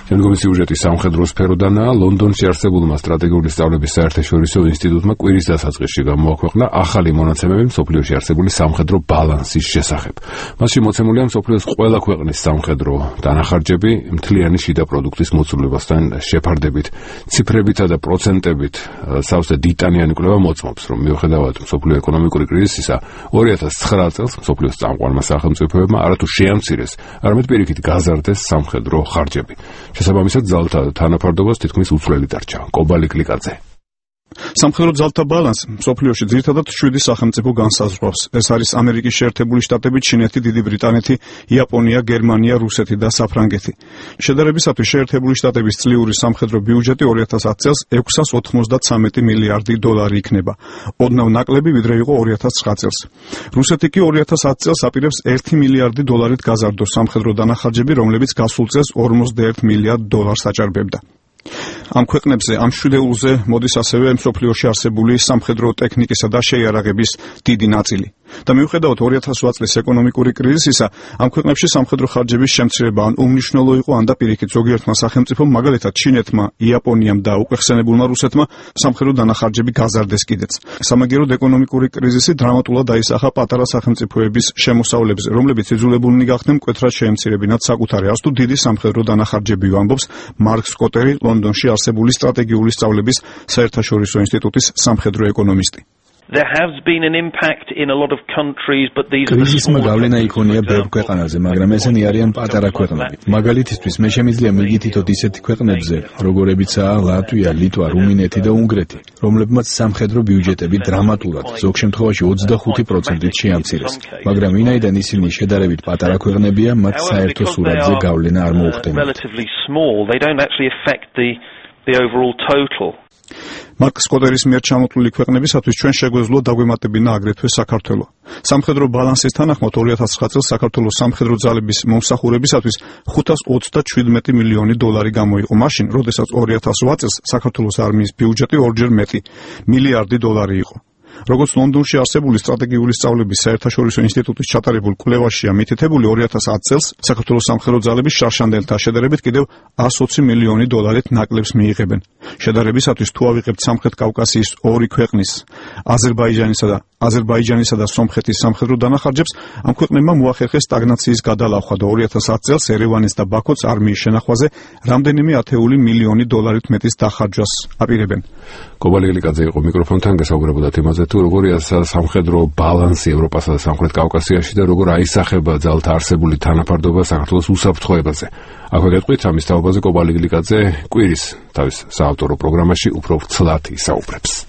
შემდგომი სიუჟეტი სამხედრო სფეროდანაა. ლონდონში არსებულმა სტრატეგიული სწავლების საერთაშორისო ინსტიტუტმა კვირის დასაწყისში გამოაქვეყნა ახალი მონაცემები მსოფლიოში არსებული სამხედრო ბალანსის შესახებ. მასში მოცემულია მსოფლიოს ყველა ქვეყნის სამხედრო დანახარჯები მთლიანი შიდა პროდუქტის მოცულებასთან შეფარდებით. ციფრებითა და პროცენტებით სავსე დიტანიანი კვლევა მოწმობს, რომ მიუხედავად მსოფლიო ეკონომიკური კრიზისისა 2009 წელს მსოფლიოს წამყვანმა სახელმწიფოებმა არათუ შეამცირეს, არამედ პირიქით გაზარდეს სამხედრო ხარჯები. შესაბამისად ძალთა თანაფარდობას თითქმის უცვლელი დარჩა. კობალი კლიკაძე. სამხედრო ძალთა ბალანსი მსოფლიოში ძირითადად 7 სახელმწიფო განსაზღვრავს. ეს არის ამერიკის შეერთებული შტატები, ჩინეთი, დიდი ბრიტანეთი, იაპონია, გერმანია, რუსეთი და საფრანგეთი. შედარებისათვის შეერთებული შტატების წლიური სამხედრო ბიუჯეტი 2010 წელს 693 მილიარდი დოლარი იქნება. ოდნავ ნაკლები ვიდრე იყო 2009 წელს. რუსეთი კი 2010 წელს აპირებს 1 მილიარდი დოლარით გაზარდოს სამხედრო დანახარჯები, რომლებიც გასულ წელს 51 მილიარდ დოლარს აჭარბებდა. ამ ქვეყნებზე ამ შვიდეულზე მოდის ასევე მსოფლიოში არსებული სამხედრო ტექნიკისა და შეიარაღების დიდი ნაწილი. და მიუხედავად 2008 წლის ეკონომიკური კრიზისისა, ამ ქვეყნებში სამხედრო ხარჯების შემცირება ან უმნიშვნელო იყო, ან და პირიქით ზოგიერთმა სახელმწიფომ, მაგალითად ჩინეთმა, იაპონიამ და უკვე ხსენებულმა რუსეთმა სამხედრო დანახარჯები გაზარდეს კიდეც. სამაგიეროდ ეკონომიკური კრიზისი დრამატულად დაისახა პატარა სახელმწიფოების შემოსავლებზე, რომლებიც იძულებულნი გახდნენ მკვეთრად შეემცირებინათ საკუთარი არც თუ დიდი სამხედრო დანახარჯები, ამბობს მარკ სკოტერი, ლონდონში არსებული სტრატეგიული სწავლების საერთაშორისო ინსტიტუტის სამხედრო ეკონომისტი. კრიზისმა გავლენა იქონია ბევრ ქვეყანაზე, მაგრამ ესენი არიან პატარა ქვეყნები. მაგალითისთვის, მე შემიძლია მიგითითოთ ისეთი ქვეყნებზე, როგორებიცაა ლატვია, ლიტვა, რუმინეთი და უნგრეთი, რომლებმაც სამხედრო ბიუჯეტები დრამატულად, ზოგ შემთხვევაში 25%-ით შეამცირეს. მაგრამ ვინაიდან ისინი შედარებით პატარა ქვეყნებია, მათ საერთო სურათზე გავლენა არ მოუხდენიათ. მარკ სკოტერის მიერ ჩამოთვლილი ქვეყნებისათვის ჩვენ შეგვეძლო დაგვემატებინა აგრეთვე საქართველო. სამხედრო ბალანსის თანახმად 2009 წელს საქართველოს სამხედრო ძალების მომსახურებისათვის 527 მილიონი დოლარი გამოიყო. მაშინ, როდესაც 2008 წელს საქართველოს არმიის ბიუჯეტი ორჯერ მეტი მილიარდი დოლარი იყო. როგორც ლონდონში არსებული სტრატეგიული სწავლების საერთაშორისო ინსტიტუტის ჩატარებულ კვლევაშია მითითებული, 2010 წელს საქართველოს სამხედრო ძალები შარშანდელთან შედარებით კიდევ 120 მილიონი დოლარით ნაკლებს მიიღებენ. შედარებისათვის თუ ავიღებთ სამხრეთ კავკასიის ორი ქვეყნის, აზერბაიჯანისა და სომხეთის სამხედრო დანახარჯებს, ამ ქვეყნებმა მოახერხეს სტაგნაციის გადალახვა და 2010 წელს ერევანის და ბაქოს არმიის შენახვაზე რამდენიმე ათეული მილიონი დოლარით მეტის დახარჯვას აპირებენ. კობალი კლიკაძე იყო მიკროფონთან, გასაუბრებოდა თემაზე თუ როგორია სამხედრო ბალანსი ევროპასა და სამხრეთ კავკასიაში და როგორ აისახება ძალთა არსებული თანაფარდობა საქართველოს უსაფრთხოებაზე. აქვე გეტყვით ამის თაობაზე კობალი კლიკაძე კვირის თავის საავტორო პროგრამაში უფრო ცლად ისაუბრებს.